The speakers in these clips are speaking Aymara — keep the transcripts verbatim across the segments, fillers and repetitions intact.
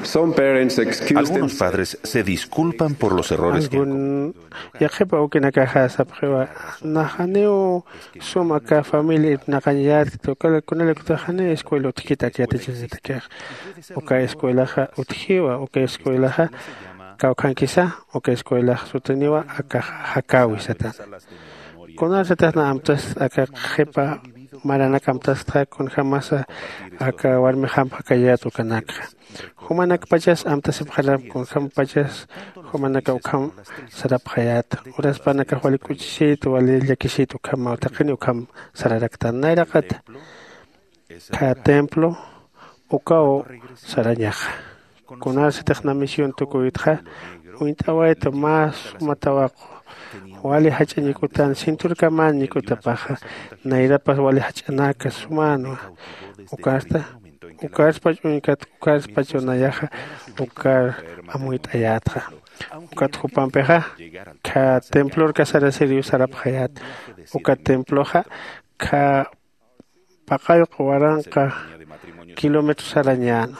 Some parents excuse Algunos padres se disculpan por los errores que han cometido. Yaqhipa ukinakaxa sapxiwa, naxaniw sum aka familia irpnaqañayätkta, kunalaykutix janiw escuela utjkit ak yatichañatakixa. Uka escuelaxa utjiwa, uka escuelaxa kawkhankisa, uka escuelax sutiniwa akax jakäwi satana. Kunarsatix na amtast aka qhipa maranak amtastxa, kunjämasa aka warmixamp jakayät ukanakxa. Jumanakpachas amtasipxaram, kunjämpachas jumanaka ukham sarapxayät. Uraspanakax wali k'uchisit, wali llakisit ukhamaw, taqini ukham sararaktan. Nayraqata kha templo ukaw sarañaxa. Kunarsatix na misión tukuytxa, uñt'awayta mä suma tawaqu, wali jach'a ñik'utan, cinturkamän ñik'utapaxa, nayrapas wali jach'anaka sumänwa. Ukasta, ukarspach uñkat, ukarspach nayaxa, ukar amuyt'ayätxa. Ukat jupampixa, kha templor kasarasiriw sarapxayät. Uka temploxa, kha paqallq waranqa kilómetro sarañänwa.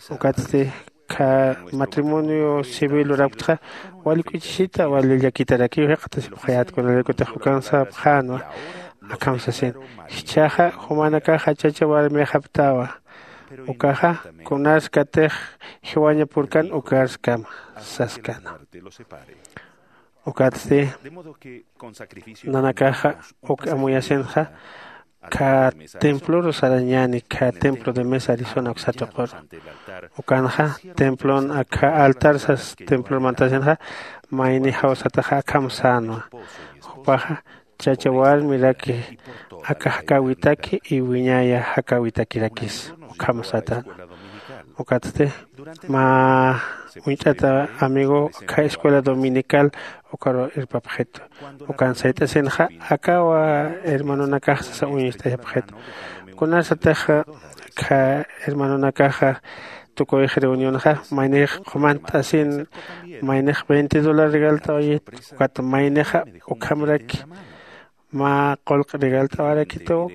Ukatsti kha matrimonio civil lurapktxa, wali k'uchisita, wali llakitarakiw jikxatasipxayät, kunalaykutix ukan sapxänwa. Akham sasin, jichhaxa jumanakaxa chacha warmixapktawa. Ukaxa kunarskatix jiwaña purkan ukarskama saskana. Ukatsti nanakaxa uk amuyasinxa, kha templor sarañäni, kha templo de mesa Arizona uksatuqur. Ukanxa templon akha altar sas templor mantasinxa, mayni jawsataxa akham sänwa. Jupaxa chacha warmiraki aka jakäwitaki y wiñaya jakäwitakirakis ukham satänwa. Ukatsti mä uñt'ata amigo kha escuela dominical ukaru irpapxitu. Ukan sayt'asinxa, akawa hermanonakax sasa uñist'ayapxitu. Kunarsatix kha hermanonakaxa tukuyx reunionxa, maynix qumant'asin, maynix veinte dólar regalt'awayit, ukat maynixa ukhamraki mä qullq regalt'awarakituw.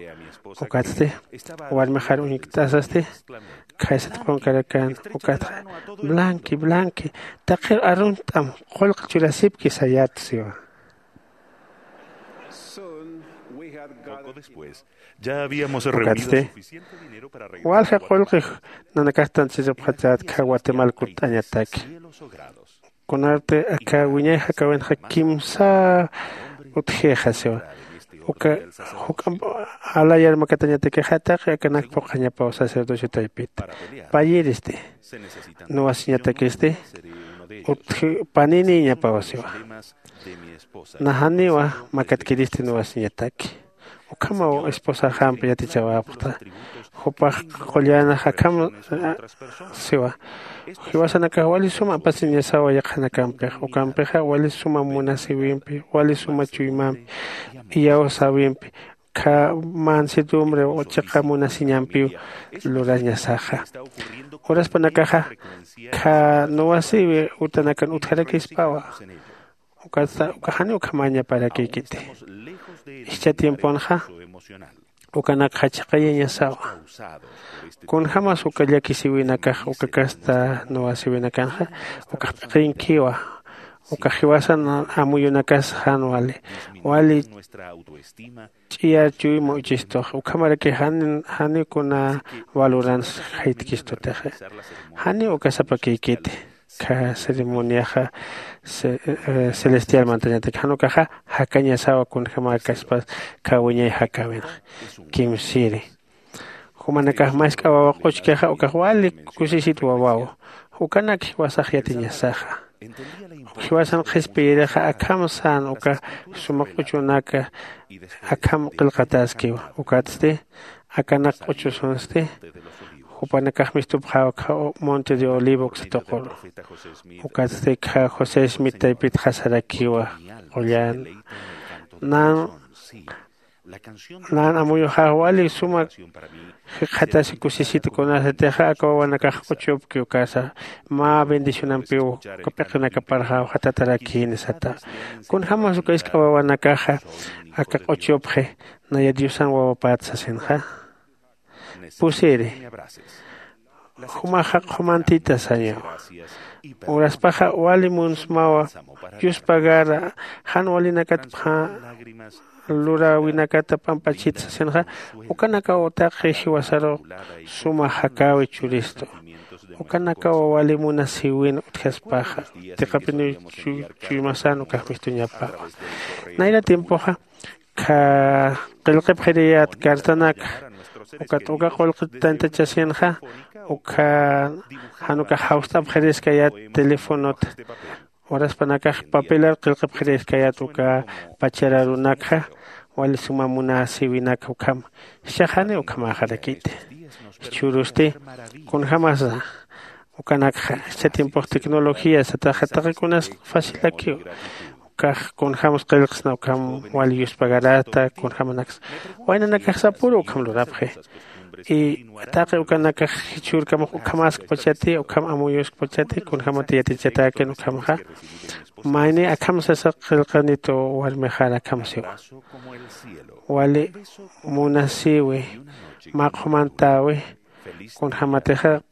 Ukatsti warmixar uñkt'asasti, khaysat qunkarakan, ukatxa, blanqui, blanqui, taqir arunt'am qullq churasipki sayät siwa. Poco después, ya habíamos reunido suficiente dinero para regalar walja qullqi nanakax tantsirapxatätkxa Guatemala kutt'añataki. Kunarti aka wiñay jakawinxa kimsa utjixa siwa. Uka juk'amp alayar makatañatakixa taqi akanak phuqhañapaw sacerdocio taypit. Payiristi. Nuwasiñatakisti utji paniniñapaw siwa. Najaniwa makatkiristi nuwasiñataki. Ukhamaw esposaxamp yatichawapxta. Jupax qullan akham siwa. Jiwasanakax wali suma apasiñasawa yaqhanakampix. Ukampixa wali suma munasiwimpi, wali suma chuymampi, iyawsäwimpi, kha mansedumbre chiqa munasiñampiw lurañasaxa. Uraspanakaxa kha nuwasiwi utanakan utjarakispawa. Ukatsa uka jani ukhamañaparakïkiti. Jichha tiemponxa ukanakxa chiqayañasawa. Kunjämas uka llakisiwinakax uka kasta nuwasiwinakanxa ukax p'iqinkiwa. Uka jiwasan amuyunakas jan wali wali ch'iyar chuyma uchistux ukhamaraki jani jani kuna valorans jaytkistutixi. Jani uka sapakïkiti. Kha ceremoniaxa celestial mantañatak jan ukaxa jakañasawa kunjämäkaspas kha wiñay jakäwinxa kimsiri. Jumanakax mask'a wawa q'uchkixa ukax wali kusisit wawaw. Ukanak jiwasax yatiñasaxa. Jiwasan qhispiyirixa akham sän uka suma q'uchunaka akham qillqataskiwa. Ukatsti akanak q'uchusunsti jupanakax mistupxäwakxa monte de olivo uksa tuquru. Ukatsti kha josé smith taypitxa sarakiwa qullan nan nan amuyuxax wali suma jikxatasi kusisiti kunasatixa aka wawanakax q'uchupki ukasa mä bendicionampiw uka p'iqinakaparxaw jatatarakini sata. Kunjämas uka isk'a wawanakaxa aka q'uchupxi naya diosan wawapät sasinxa. Pusiri Jumaxa qhumantita sañawa. Uraspaxa wali munsmawa. Yuspagara jan walinakatpxa luräwinakata p'amp'achit sasinxa, ukanakaw taqi jiwasaru suma jakäwi churistu. Ukanakaw wali munasiwin utjaspaxa, tiqapiniw chuymasan ukax mistuñapawa. Nayra tiempoxa kha qillqipxiriyät cartanaka, ukat uka qullqit tantachasinxa, uka jan ukax jawst'apxiriskayät telefonota. Uraspanakax papelar qillqipxiriskayät uka pachar arunakxa, wali suma munasiwinak ukham. Jichhaxani ukhamäxarakiti. Jichhürusti kunjämasa ukanakxa jichha tiempux tecnología sataxa taqikunas facilakiw. Ukax kunjämas qillqsna ukham wali yuspagarata kunjämanaksa waynanakaxsapuru ukham lurapxi. Y taqi ukanakax jichhürkamax ukhamäskpachati ukham amuyuskpachati kunjämati yatichatäkin ukhamxa. Mayni akham sasa qillqanitu warmixar akham siwa. Wali munasiwi mä qhumantäwi kunjämatixa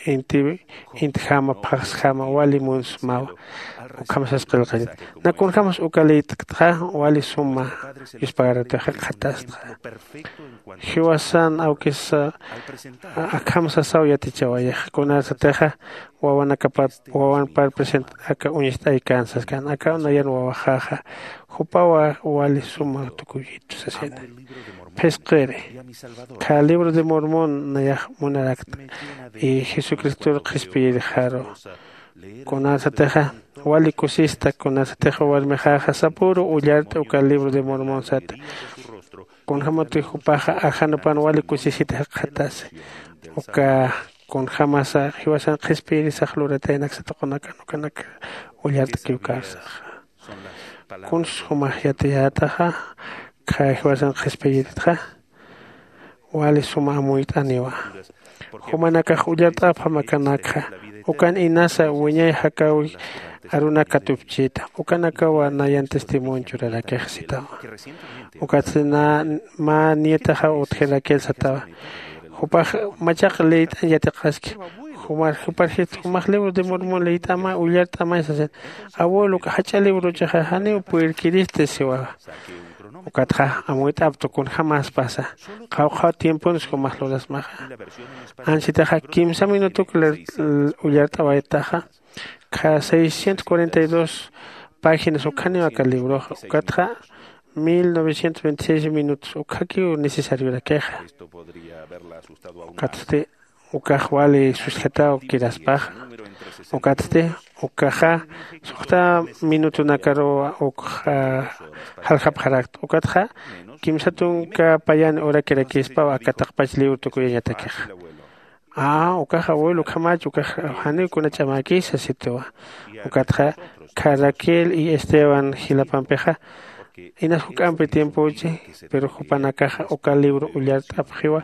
inti intjama phaxsjama wali munsmawa. Ukham sas qillqanit na kunjämas uka liyt'ktxa wali suma yuspagaratixa qhatastxa. Jiwasan awkis akham sasaw yatichawayax kunarsatixa wawanakapar wawanpar present aka uñist'aykän saskan aka nayan wawaxaxa jupawa wali suma tukuyitu sasina. Phisqiri kha libro de mormon nayax munarakt y jesucristor qhispiyirxaru. Kunarsatixa wali kusista kunarsatixa warmixaxa sapüru ullart'a uka libro de mormon sata. Kunjämati jupaxa ajanupan wali kusisita jikxatasi uka kunjämasa jiwasan qhispiyirisax lurataynak satuqunakan ukanak ullart'akiw karsaxa. Kuns jumax yatiyätaxa kha jiwasan qhispiyiritxa wali suma amuyt'aniwa. Jumanakax ullart'apxam akanakxa ukan inasa wiñay jakäwi arunak katupchita ukanakawa nayan testimonio churarakix sitawa. Ukatsti na mä nietaxaw utjirakir satawa. Jupax machaq liyt'añ yatiqaski. Jumar juparjit jumax libro de mormon liyt'amay ullart'amay sasin. Abuelo jach'a librochaxa janiw purirkiristi siwawa. Ukatxa amuyt'aptu kunjämaspasa qhawqhaw tiemponsi jumax lurasmaxa. Ansitaxa kimsa minutuk ullart'awaytaxa kha seiscientos cuarenta y dos páginas ukhaniw aka libroxa ukatxa mil novecientos veintiséis minutos ukhakiw necesariorakixa. Ukatsti ukax wali susjataw kiraspaxa. Ukatsti ukaxa suxta minutunakaruw ukxa jaljapxarakta ukatxa kimsa tunka payan urakirakispaw aka taqpach libro tukuyañatakixa. Aa ukax abuelo ukhamach ukax janiw kuna ch'amäkisa sitiwa. Ukatxa kha raquel y esteban jilapampixa inas juk'ampi tiempochi. Pero jupanakaxa uka libro ullart'apxiwa.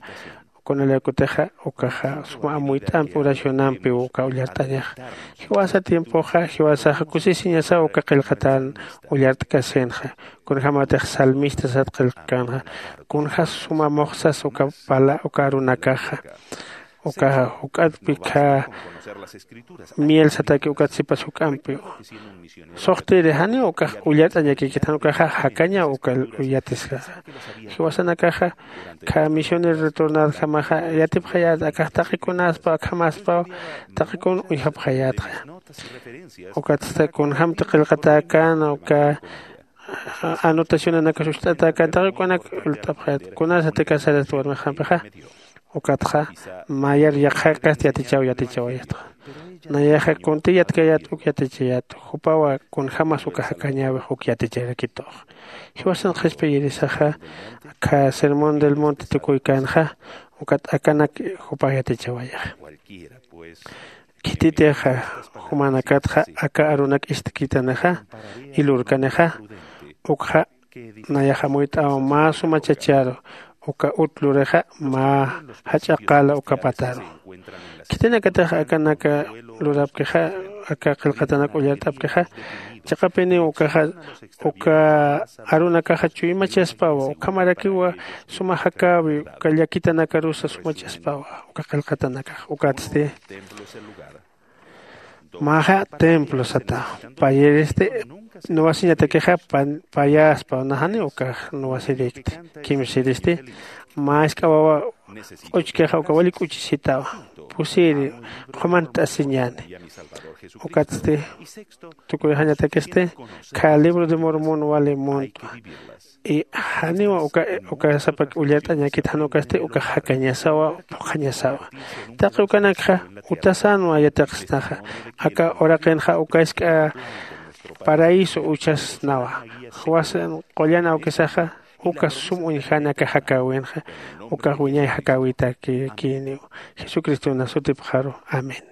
Kunalaykutixa ukaxa suma amuyt'ampi oracionampiw uka ullart'añaxa. Jiwasa tiempoxa jiwasaxa kusisiñasaw uka qillqatan ullart'kasinxa. Kunjämatix salmistasat qillqkänxa kunjas suma muxsas uka pala uka arunakaxa. Ukaxa juk'atpi kha miel sataki ukat sipas juk'ampiw. Suxtiri janiw ukax ullart'añakikit jan ukaxa jakañaw uka yatiskaxa. Jiwasanakaxa kha misionero retornadjamaxa yatipxayät akax taqikunaspaw akhamaspaw taqikun uñjapxayätxa. Ukatsta kunjämti qillqatäkäna uka anotacionanakas ucht'atäkäna taqikunak ult'apxayät kunasati casarasta warmixampixa. Ukatxa mayar yaqhakast yatichaw yatichawayatxa. Nayaxa kunti yatkayät uk yatichayät jupawa kunjämas uka jakañäwix uk yaticharakitux. Jiwasan qhispiyirisaxa kha sermón del monte tukuykänxa ukat akanak jupax yatichawayaxa. Khititixa jumanakatxa aka arunak istkitanixa ilurkanixa ukxa nayax amuyt'aw mä suma chacharu uka ut lurixa mä jach'a qala uka pataru. Khitinakatix akanaka lurapkixa aka qillqatanak ullart'apkixa. Chiqapiniw ukaxa uka arunakaxa chuymachaspawa ukhamarakiwa suma jakäwi uka llakitanakarusa sumachaspawa uka qillqatanakax. Ukatsti maxa templo sata payiristi nuwasiñatakixa payaspa najani ukax nuwasirikti. Kimsiristi mä isk'a wawa q'uchkixa uka wali k'uchisitawa pusiri qhumant'asiñäni. Ukatsti tukuyxañatakisti khä libro de mormón wali muntwa. Y janiwa uka uka sapak ullart'añakit jan ukasti ukax jakañasawa phuqhañasawa. Taqi ukanakxa utasänwa yatiqsnaxa aka uraqinxa uka isk'a paraíso uchasnawa. Juwasan qullan awkisaxa uka sum uñjani aka jakäwinxa ukax wiñay jakäwitakïniw. Jesucriston sutipxaru, amén.